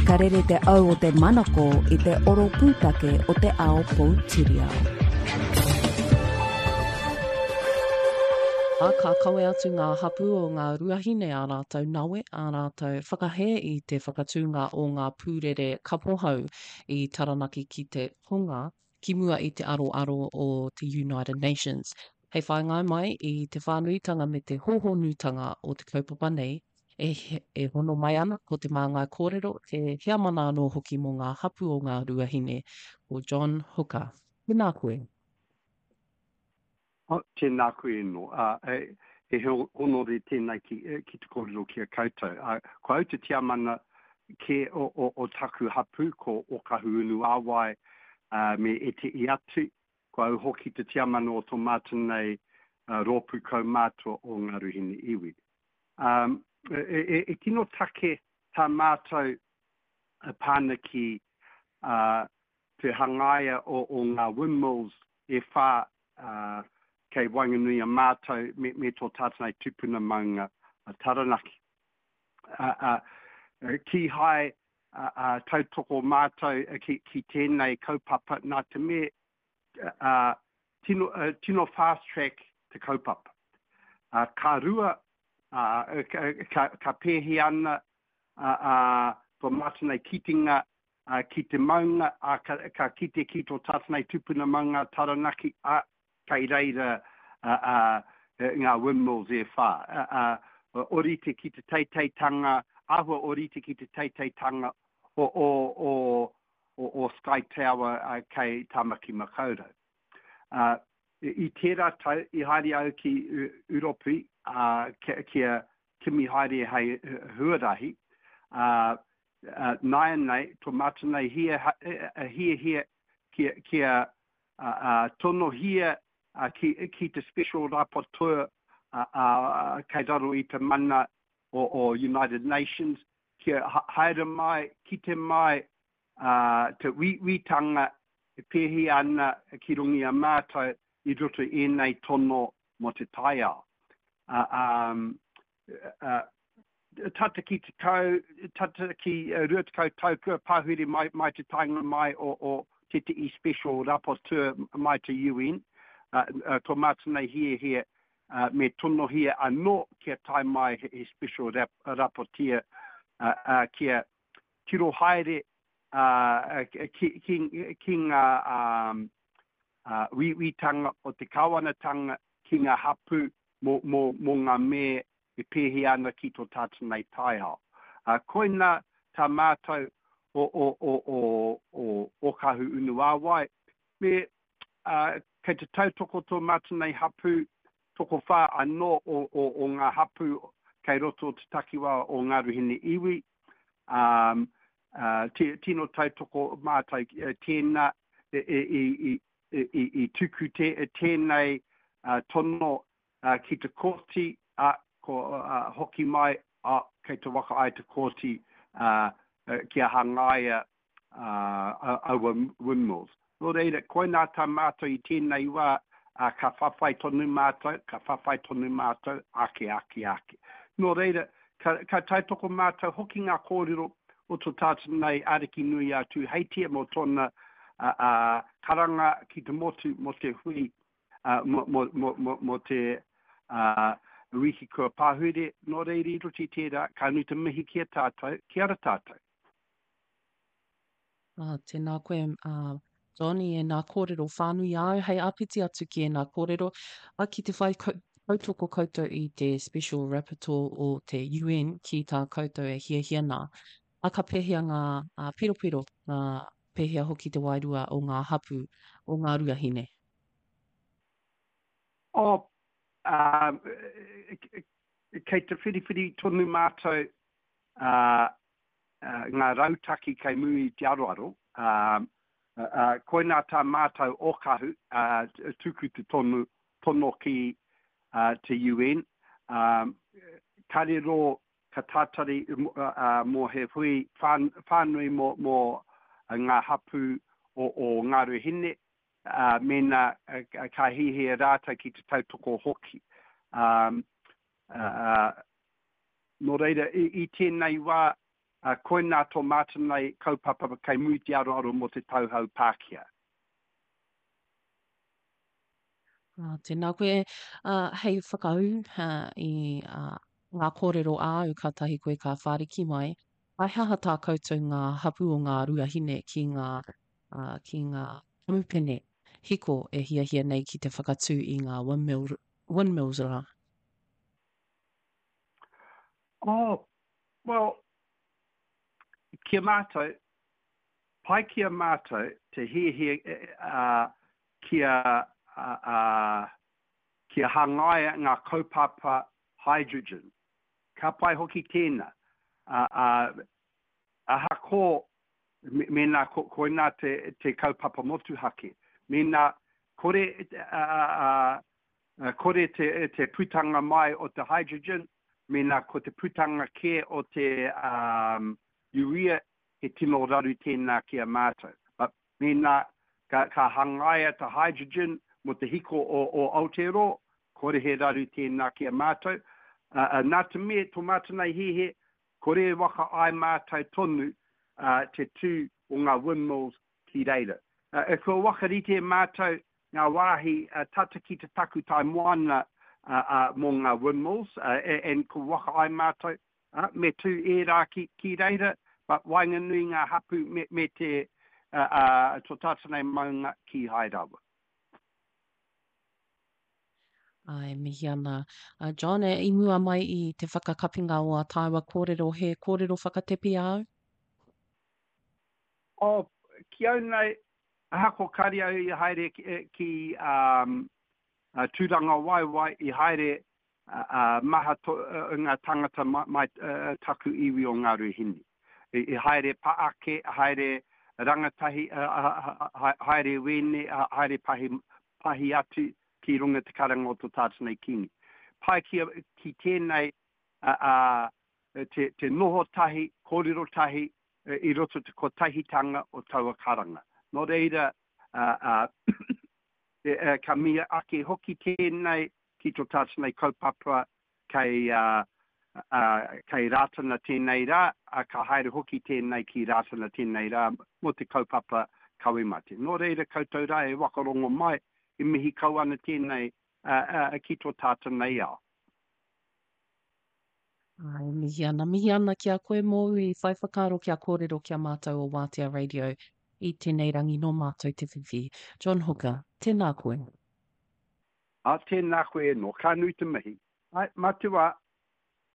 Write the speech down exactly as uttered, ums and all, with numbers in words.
Ka rere te au o te manako i te oro pūtake o te ao poutiriao. Ā, ka kawe atu ngā hapū o Ngā Ruahine ā rātou nawe, ā rātou whakahē i te whakatūnga o ngā pūrere kapohau i Taranaki ki te tonga, ki mua i te aroaro o te United Nations. Hei whāinga mai i te whānuitanga me te hōhonutanga o te kaupapa nei, e, e hono mai ana ko te māngai kōrero, te heamana anō hoki mō ngā hapū o Ngā Ruahine, ko John Hooker. Tēnā koe. Oh, tēnā koe no. Uh, e, he honore tēnei ki, ki te kōrero ki a koutou. Uh, ko au te tiamana ke o, o, o taku hapū, ko Okahu Unu Āwai uh, me ete i atu. Ko au hoki te tiamana o tō mātou nei uh, rōpū kaumātua o Ngā Ruahine iwi. Um, e, e, e tino take tā mātou pāna ki uh, te hangaia o, o ngā windmills e whā uh, kei waenganui a mātou me, me tō tātou nei tupuna maunga a Taranaki. Uh, uh, ki hai uh, uh, tautoko mātou ki, ki tēnei kaupapa nā te me uh, tino, uh, tino fast track te kaupapa. Uh, ka rua, uh, ka, ka, ka pēhi ana uh, uh, tō mātou nei kitenga uh, ki te maunga, uh, ka, ka kite ki tō tātou nei tupuna maunga Taranaki, uh, kei reira uh, uh, ngā windmills e whā. Uh, uh, orite ki te teiteitanga, āhua orite ki te teiteitanga o, o, o, o, o Sky Tower uh, kei Tamaki Makaurau. Uh, i tērā tau, i haere au ki Uropi, uh, kia, kia kimi haere hei huarahi, uh, uh, nāianei, tō mātou nei hia, hia, hia, kia, kia uh, uh, tonohia uh, ki, ki te special rapporteur uh, uh, kei raro i te mana o, o United Nations, kia haere mai, kite mai uh, te uiuitanga e pēhi ana ki runga i a mātou i roto i ēnei tono mō te taiao. Uh, um, uh, tata ki te tau, tata ki uh, rua tekau tau kua pahure mai, mai te taenga mai o, o tētehi special rapporteur mai te U N, uh, uh, tō mātou nei hiahia, uh, me tonohia anō kia tae mai he, he special rap, rapporteur, uh, uh, kia tiro haere, uh, ki, ki, ki ngā um, uh, uiuitanga o te kāwanatanga ki ngā hapū mō, mō, mō ngā me e pēhi ana ki tō tātou nei taiao. Uh, koina tā mātou o, o, o, o, o Okahu Unuāwai, me uh, kei te tautoko tō mātou nei hapū, tokowhā anō o, o, o ngā hapū kei roto o te takiwā o Ngā Ruahine iwi. Um, uh, tino tautoko mātou tēnā e, e, e, e, e, i tuku te, tēnei uh, tono uh, ki te kōti, uh, ko, uh, hoki mai, uh, kei te waka ai te kōti uh, kia hangaia uh, aua windmills. Nō reira, koinā tā mātou i tēnei wā, uh, ka whawhai tonu mātou, ka whawhai tonu mātou, ake, ake, ake. Nō reira, ka, ka tautoko mātou hoki ngā kōrero o tō tātou nei ariki nui a Tūheitia mō tōna uh, uh, karanga ki te motu mō te hui, uh, mō, mō, mō, mō, mō te uh, wiki kua pahure. Nō reira i roto i tērā, ka nui te mihi ki a tātou, ki ara tātou. Ah, tēnā koe, uh, Johnny, e nā kōrero whānui au, hei āpiti atu ki e nā kōrero, a ki te whai tautoko koutou i te Special Rapporteur o te U N ki tā koutou e hiahia nā. A ka pēhea ngā, a, piropiro, ngā pēhea hoki te wairua o ngā hapū, o ngā ruahine? O, um, kei te whiriwhiri tonu mātou, uh, uh, ngā rautaki kei muri i te aroaro. Um, uh, uh, koinā tā mātou Okahu, uh, tuku te tonu, tono ki, uh, te U N. Um, karero ka tātari, uh, uh, mō he hui whān-, whānui mō, mō ngā hapū o, o Ngā Ruahine, uh, mēnā, uh, ka hihia rātou ki te tautoko hoki. Um, uh, uh, nō reira, i, i tēnei wā, Uh, koinā tō mātou nei kaupapa kei muri te aroaro mō te tauhou Pākehā. Uh, tēnā koe, uh, hei whakaū uh, i uh, ngā kōrero āu kātahi koe ka whāriki mai, he aha tā koutou ngā hapū o Ngā Ruahine ki ngā, uh, ki ngā kamupene hiko e hiahia nei ki te whakatū i ngā windmill, windmills rā? Oh, well, ki a mātou, pai ki a mātou te hiahia uh, kia, uh, uh, kia hangaia ngā kaupapa hydrogen. Ka pai hoki tēnā. Uh, uh, ahako mēnā ko, koinā te, te kaupapa motuhake. Mēnā kore, uh, uh, kore te, te putanga mai o te hydrogen, mēnā ko te putanga kē o te um, urea, he tino raru tēnā ki a mātou. But mēnā ka, ka hangaia te hydrogen mo te hiko o, o Aotearoa, kore he raru tēnā ki a mātou. Uh, uh, nā te mea, tō mātou nei hiahia, kore e waka ai mātou tonu uh, te tū o ngā windmills ki reira. Uh, e kua whakarite mātou ngā wāhi uh, tata ki te takutai moana uh, uh, mō ngā windmills, uh, and kua waka ai mātou, uh, me tū ērā ki, ki reira, but waenganui ngā hapu me, me te uh, uh, tō tātou nei maunga kīhai rawa. Āe, mihi ana. Uh, John, e, i mua mai i te whakakapinga o ā tāua kōrero, he kōrero whakatepi āu? Oh, ki au nei, ahako kāre au i haere ki, ki um, uh, Tūrangawaewae, i haere uh, uh, maha to, uh, ngā tangata mai, mai uh, taku iwi o Ngā Ruahine. I, i haere pa ake, haere rangatahi, uh, haere wene, haere pahi, pahi atu ki runga te karanga o tō tātou nei Kīngi. Pai ki, ki tēnei uh, uh, te, te noho tahi, kōrero tahi, i roto te kotahitanga o taua karanga. Nō reira, uh, uh, ka mia ake hoki tēnei ki tō tātou nei kaupapa kei, uh, uh, kei Rātana tēnei rā, uh, ka haere hoki tēnei ki Rātana tēnei rā mō te kaupapa kawe mate. Nō reira koutou rā e whakarongo mai, e mihi kau ana tēnei uh, uh, ki tō tātou nei ao. Ai, mihi ana, mihi ana ki a koe mōu i whai whakaaro kia kōrero ki a mātou o Wātea Radio i tēnei rangi nō mātou te whiwhi. John Hooker, tēnā koe. A, tēnā koe e nō, ka nui te mihi. Ai, matua.